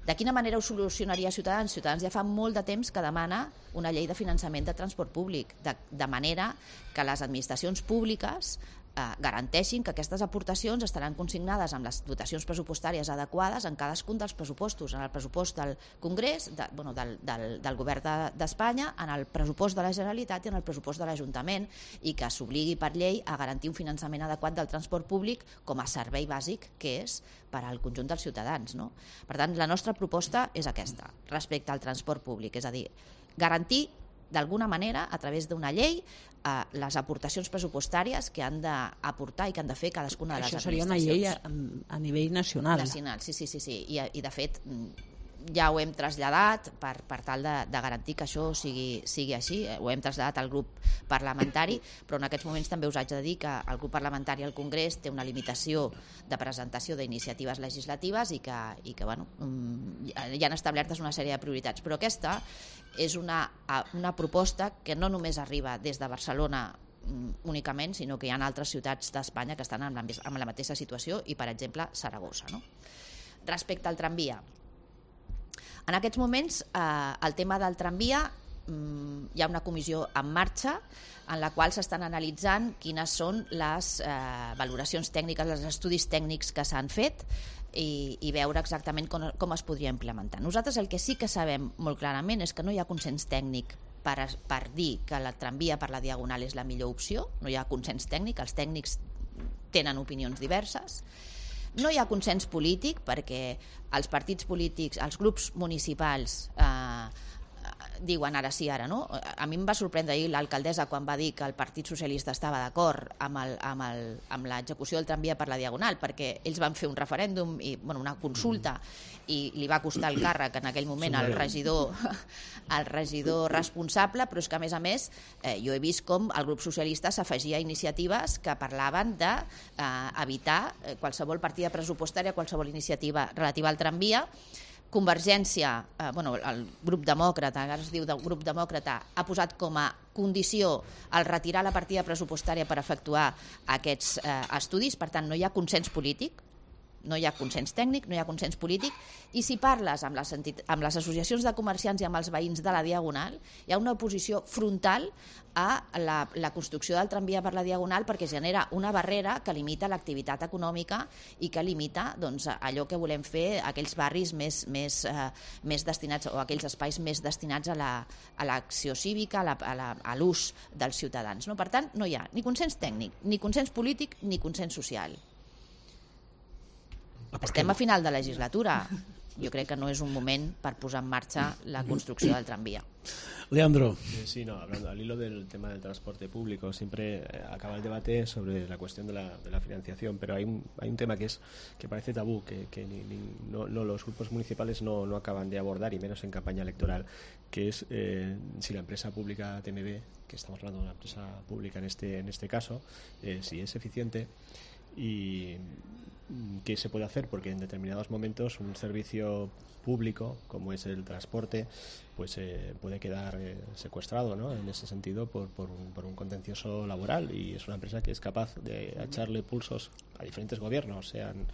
De quina manera ho solucionaria Ciutadans? Ciutadans ja fa molt de temps que demana una llei de finançament de transport públic, de, de manera que les administracions públiques eh, garanteixin que aquestes aportacions estaran consignades amb les dotacions pressupostàries adequades en cadascun dels pressupostos, en el pressupost del Congrés, de, bueno, del, del, del govern d'Espanya, de, en el pressupost de la Generalitat i en el pressupost de l'Ajuntament, i que s'obligui per llei a garantir un finançament adequat del transport públic com a servei bàsic que és per al conjunt dels ciutadans, no? Per tant, la nostra proposta és aquesta, respecte al transport públic, és a dir, garantir d'alguna manera, a través d'una llei, eh, les aportacions pressupostàries que han d'aportar i que han de fer cadascuna de les administracions. Això seria una llei a, a nivell nacional. Nacional, sí, sí, sí. sí. I, I de fet, ja ho hem traslladat per, per tal de, de garantir que això sigui, sigui així. Ho hem traslladat al grup parlamentari, però en aquests moments també us haig de dir que el grup parlamentari al Congrés té una limitació de presentació d'iniciatives legislatives i que, i que bueno, hi han establertes una sèrie de prioritats. Però aquesta és una, una proposta que no només arriba des de Barcelona únicament, sinó que hi ha altres ciutats d'Espanya que estan en la, en la mateixa situació, i per exemple Saragossa, no? Respecte al tramvia, en aquests moments eh, el tema del tramvia, mm, hi ha una comissió en marxa en la qual s'estan analitzant quines són les eh, valoracions tècniques, els estudis tècnics que s'han fet, i, i veure exactament com, com es podria implementar. Nosaltres el que sí que sabem molt clarament és que no hi ha consens tècnic per, per dir que la tramvia per la Diagonal és la millor opció, no hi ha consens tècnic, els tècnics tenen opinions diverses. No hi ha consens polític perquè els partits polítics, els grups municipals eh, diuen ara sí, ara no. A mi em va sorprendre ahir l'alcaldessa quan va dir que el Partit Socialista estava d'acord amb, el, amb, el, amb l'execució del tramvia per la Diagonal, perquè ells van fer un referèndum i bueno, una consulta, i li va costar el càrrec en aquell moment al regidor, al regidor responsable, però és que a més a més eh, jo he vist com el grup socialista s'afegia a iniciatives que parlaven d'evitar eh, qualsevol partida pressupostària, qualsevol iniciativa relativa al tramvia. Convergència, eh, bueno, el grup demòcrata, ara es diu del grup demòcrata, ha posat com a condició el retirar la partida pressupostària per efectuar aquests eh, estudis. Per tant, no hi ha consens polític, no hi ha consens tècnic, no hi ha consens polític, i si parles amb les, amb les associacions de comerciants i amb els veïns de la Diagonal, hi ha una oposició frontal a la, la construcció del tramvia per la Diagonal, perquè genera una barrera que limita l'activitat econòmica i que limita doncs, allò que volem fer, aquells barris més, més, eh, més destinats, o aquells espais més destinats a l'acció la, cívica, a l'ús dels ciutadans, no? Per tant, no hi ha ni consens tècnic, ni consens polític, ni consens social. Estem a final de legislatura. Jo crec que no és un moment per posar en marxa la construcció del tramvía. Leandro. Sí, no, hablando al hilo del tema del transporte público, siempre acaba el debate sobre la cuestión de la, de la financiación, pero hay un, hay un tema que es que parece tabú, que, que ni, ni, no, no, los grupos municipales no, no acaban de abordar, y menos en campaña electoral, que es eh, si la empresa pública T M B, que estamos hablando de una empresa pública en este, en este caso, eh, si es eficiente y qué se puede hacer, porque en determinados momentos un servicio público como es el transporte pues eh, puede quedar eh, secuestrado, ¿no? En ese sentido por, por, un, por un contencioso laboral, y es una empresa que es capaz de echarle pulsos a diferentes gobiernos, sean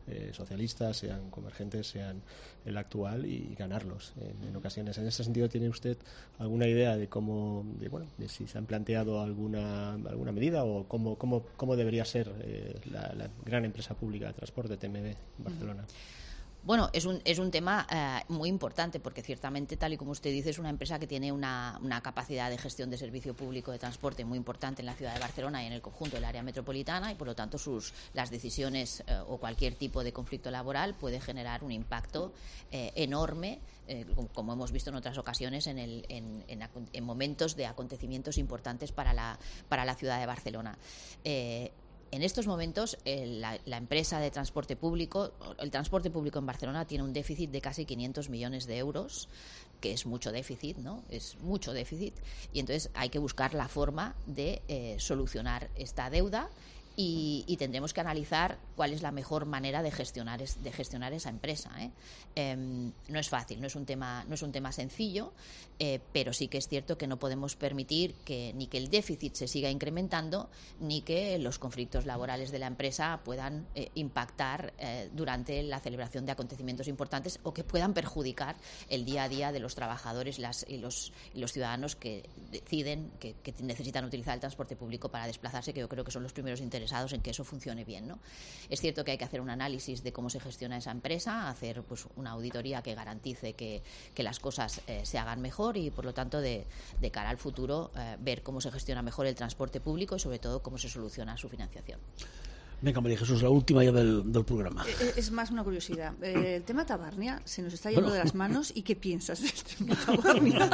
eh, socialistas, sean convergentes, sean el actual, y, y ganarlos en, en ocasiones. En ese sentido, ¿tiene usted alguna idea de cómo, de, bueno, de si se han planteado alguna alguna medida o cómo cómo, cómo debería ser eh, la, la gran empresa pública de transporte T M B en Barcelona? Uh-huh. Bueno, es un, es un tema eh, muy importante, porque ciertamente, tal y como usted dice, es una empresa que tiene una, una capacidad de gestión de servicio público de transporte muy importante en la ciudad de Barcelona y en el conjunto del área metropolitana, y por lo tanto sus, las decisiones eh, o cualquier tipo de conflicto laboral puede generar un impacto eh, enorme, eh, como hemos visto en otras ocasiones en, el, en, en, en momentos de acontecimientos importantes para la, para la ciudad de Barcelona. Eh, En estos momentos, eh, la, la empresa de transporte público, el transporte público en Barcelona tiene un déficit de casi quinientos millones de euros, que es mucho déficit, ¿no? Es mucho déficit, y entonces hay que buscar la forma de eh, solucionar esta deuda. Y, y tendremos que analizar cuál es la mejor manera de gestionar es, de gestionar esa empresa, ¿eh? Eh, no es fácil, no es un tema no es un tema sencillo, eh, pero sí que es cierto que no podemos permitir que ni que el déficit se siga incrementando, ni que los conflictos laborales de la empresa puedan eh, impactar eh, durante la celebración de acontecimientos importantes, o que puedan perjudicar el día a día de los trabajadores las, y, los, y los ciudadanos que deciden que, que necesitan utilizar el transporte público para desplazarse, que yo creo que son los primeros interesados en que eso funcione bien, ¿no? Es cierto que hay que hacer un análisis de cómo se gestiona esa empresa, hacer pues una auditoría que garantice que, que las cosas eh, se hagan mejor, y por lo tanto de, de cara al futuro eh, ver cómo se gestiona mejor el transporte público y sobre todo cómo se soluciona su financiación. Venga, María Jesús, la última ya del, del programa. Eh, es más una curiosidad. Eh, el tema Tabarnia se nos está yendo bueno. de las manos. ¿Y qué piensas del tema Tabarnia?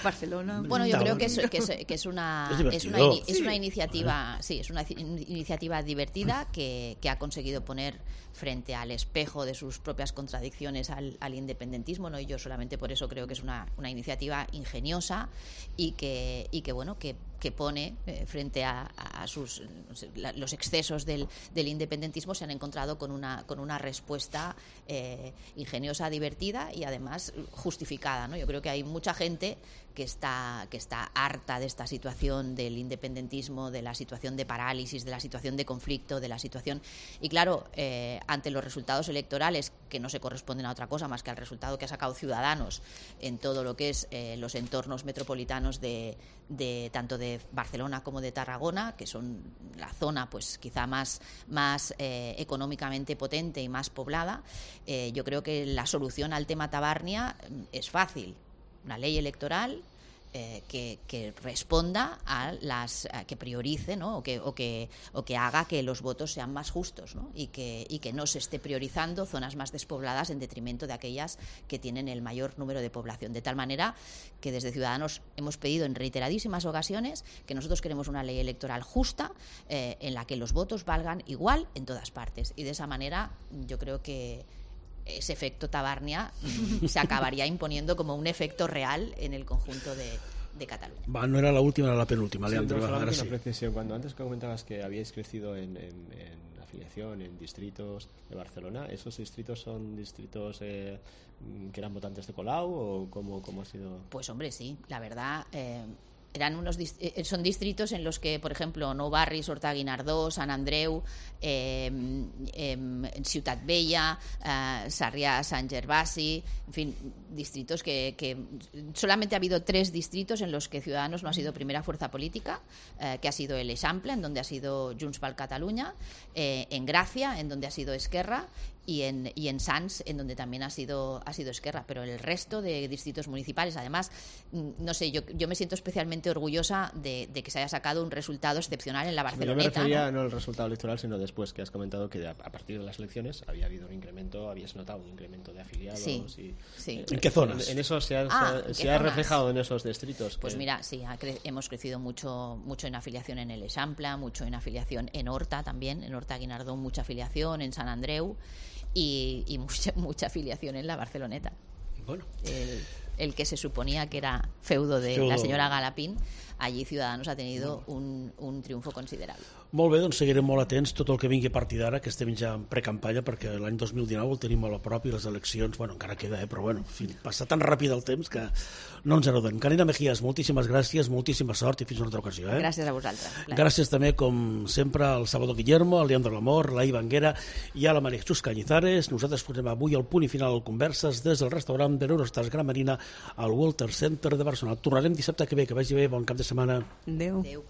Barcelona. Bueno, yo creo que es, que es, que es una es, es una, es una iniciativa, sí, es una iniciativa divertida que, que ha conseguido poner frente al espejo de sus propias contradicciones al, al independentismo, ¿no? Y yo solamente por eso creo que es una, una iniciativa ingeniosa y que y que bueno que que pone eh, frente a, a sus no sé, la, los excesos del, del independentismo, se han encontrado con una con una respuesta eh, ingeniosa, divertida y además justificada, ¿no? Yo creo que hay mucha gente que está que está harta de esta situación del independentismo, de la situación de parálisis, de la situación de conflicto, de la situación y claro, eh, ante los resultados electorales que no se corresponden a otra cosa más que al resultado que ha sacado Ciudadanos en todo lo que es eh, los entornos metropolitanos de, de tanto de Barcelona como de Tarragona, que son la zona pues quizá más más eh, económicamente potente y más poblada, eh, yo creo que la solución al tema Tabarnia es fácil. Una ley electoral eh, que, que responda a las a que priorice, ¿no? o que o que o que haga que los votos sean más justos, ¿no? y que y que no se esté priorizando zonas más despobladas en detrimento de aquellas que tienen el mayor número de población, de tal manera que desde Ciudadanos hemos pedido en reiteradísimas ocasiones que nosotros queremos una ley electoral justa eh, en la que los votos valgan igual en todas partes, y de esa manera yo creo que ese efecto Tabarnia se acabaría imponiendo como un efecto real en el conjunto de, de Cataluña. Va, no era la última, era la penúltima, sí, Leandro. No, ahora una sí. precisión. Cuando antes comentabas que habíais crecido en, en, en afiliación, en distritos de Barcelona, ¿esos distritos son distritos eh, que eran votantes de Colau o cómo, cómo ha sido? Pues hombre, sí, la verdad... Eh, eran unos son distritos en los que, por ejemplo, Nou Barris, Horta Guinardó, Sant Andreu, eh, eh, Ciutat Vella, eh, Sarrià, Sant Gervasi, en fin, distritos que, que solamente ha habido tres distritos en los que Ciudadanos no ha sido primera fuerza política, eh, que ha sido el Eixample, en donde ha sido Junts per Catalunya, eh, en Gracia, en donde ha sido Esquerra, y en, y en Sants, en donde también ha sido, ha sido Esquerra, pero el resto de distritos municipales, además, no sé, yo, yo me siento especialmente orgullosa de, de que se haya sacado un resultado excepcional en la Barceloneta. Yo me refería ¿no? no al resultado electoral, sino después, que has comentado que a partir de las elecciones había habido un incremento, habías notado un incremento de afiliados. Sí, y, sí. Eh, ¿En qué zonas? En, en eso se ha, Ah, se, ¿en se qué ha zonas? reflejado en esos distritos. Pues que... mira, sí, ha cre hemos crecido mucho, mucho en afiliación en el Eixample, mucho en afiliación en Horta también, en Horta Guinardó mucha afiliación, en Sant Andreu y, y mucha, mucha afiliación en la Barceloneta. Bueno. El, el que se suponía que era feudo de Feudo. la señora Galapín, allí Ciudadanos ha tenido un, un triunfo considerable. Molt bé, doncs seguirem molt atents tot el que vingui a partir d'ara, que estem ja en precampanya, perquè l'any dos mil dinou el tenim molt a prop i les eleccions, bueno, encara queda, eh, però bueno, en fi, passa tan ràpid el temps que no ens n'adonem. Carina Mejías, moltíssimes gràcies, moltíssima sort i fins una altra ocasió. Eh? Gràcies a vosaltres. Clar. Gràcies també, com sempre, al Salvador Guillermo, al Leandro Lamor, la Iva Anguera i a la Maria Jesús Cañizares. Nosaltres posem avui el punt i final al Converses des del restaurant de l'Eurostars Gran Marina al Walter Center de Barcelona. Tornarem dissabte que ve, que vagi bé, bon cap de setmana. Adéu. Adéu.